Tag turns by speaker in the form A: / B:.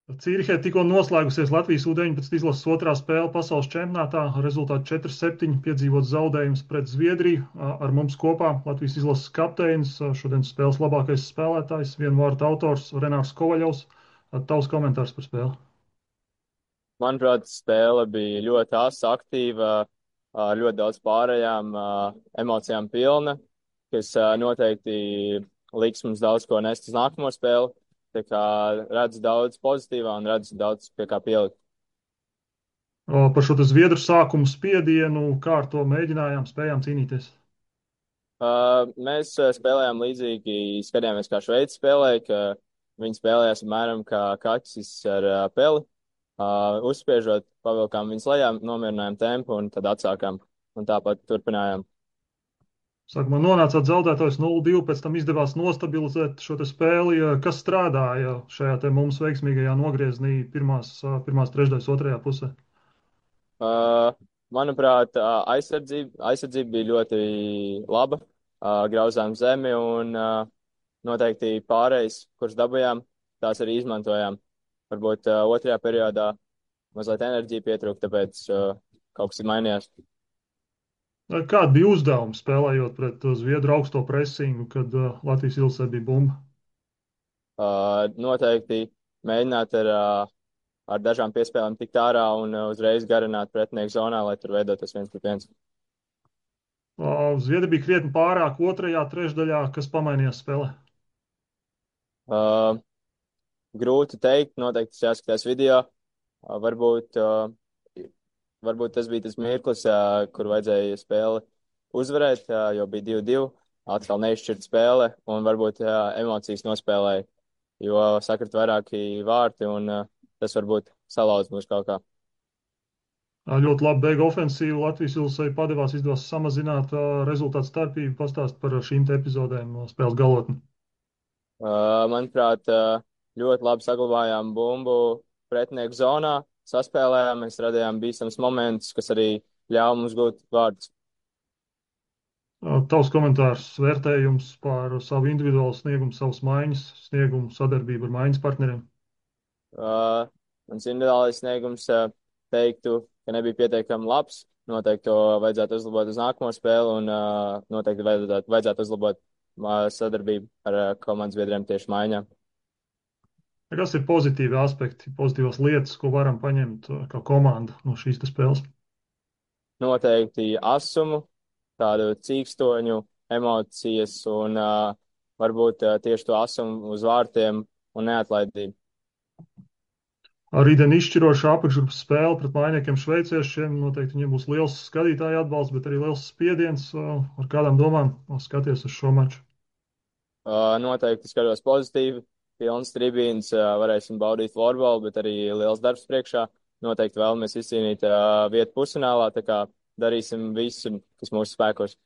A: Cīrihē tikko noslēgusies Latvijas U-19 izlases otrā spēle pasaules čempionātā. Ar rezultātu 4-7 piedzīvot zaudējumus pret Zviedriju. Ar mums kopā Latvijas izlases kapteinis, šodienas spēles labākais spēlētājs, vienu vārtu autors Renārs Kovaļovs. Tavs komentārs par spēli?
B: Manuprāt, spēle bija ļoti asa, aktīva, ar ļoti daudz pārējām emocijām pilna, kas noteikti liks mums daudz ko nest uz nākamo spēli. Tā kā redzu daudz pozitīvā un redzu daudz pie kā pielikt.
A: Par šo te Zviedru sākumu spiedienu, kā ar to mēģinājām, spējām cīnīties.
B: Mēs spēlējām līdzīgi, skatījāmies, kā Šveice spēlēja, ka viņi spēlējās apmēram kā kaķis ar peli. Uzspiežot, pavilkām viņus lejā, nomierinājām tempu un tad atsākām. Un tāpat turpinājām.
A: Sākumā nonācāt zaudētājs 0-2, pēc tam izdevās nostabilizēt šo te spēli. Kas strādāja šajā te mums veiksmīgajā nogriezienī pirmās trešdaļas otrajā pusē?
B: Uh, Manuprāt, aizsardzība bija ļoti laba, grauzām zemi un noteikti pārējais, kurš dabūjām, tās arī izmantojām. Varbūt otrajā periodā mazliet enerģija pietrūka, tāpēc kaut kas ir mainījās.
A: Kāda bija uzdevuma spēlējot pret Zviedru augsto presingu, kad Latvijas ilsē bija bumba?
B: Noteikti mēģināt ar dažām piespēlēm tikt ārā un uzreiz garināt pretinieku zonā, lai tur veidotos 1-1.
A: Zviedri bija krietni pārāk otrajā trešdaļā, kas pamainījās spēlē.
B: Uh, Grūti teikt, noteikti tas jāskatās video. Varbūt, varbūt tas bija tas mirklis, kur vajadzēja spēli uzvarēt, jo bija 2-2, atkal neizšķirt spēle un varbūt emocijas nospēlēja, jo sakrit vairāki vārti un tas varbūt salauz mūs kaut kā.
A: Ļoti labi beiga ofensīva. Latvijas ilsē izdevās samazināt rezultātu starpību. Pastāst par šīm te epizodēm no spēles galotni.
B: Manuprāt, ļoti labi saglabājām bumbu pretinieku zonā, saspēlējām, mēs radījām bīstams momentus, kas arī ļāva mums gūt vārdus.
A: Tavs komentārs, vērtējums par savu individuālu sniegumu, savas maiņas, sniegumu, sadarbību ar maiņas partneriem.
B: Mans individuālais sniegums teiktu, ka nebija pietiekami labs. Noteikti to vajadzētu uzlabot uz nākamo spēli un noteikti vajadzētu uzlabot sadarbību ar komandas biedriem tieši maiņā.
A: Kas ir pozitīvi aspekti, pozitīvas lietas, ko varam paņemt kā komanda no šīs te spēles?
B: Noteikti asumu, tādu cīkstoņu, emocijas un varbūt tieši to asumu uz vārtiem un neatlaidību.
A: Rītdien izšķirošā apakšgrupas spēle pret mainiekiem šveiciešiem. Noteikti viņiem būs liels skatītāju atbalsts, bet arī liels spiediens. Ar kādām domām skaties uz šo maču?
B: Noteikti skatos pozitīvi, pilns tribīns, varēsim baudīt florbolu, bet arī liels darbs priekšā. Noteikti vēlamies izcīnīt vietu pusfinālā, tā kā darīsim visu, kas mūsu spēkos.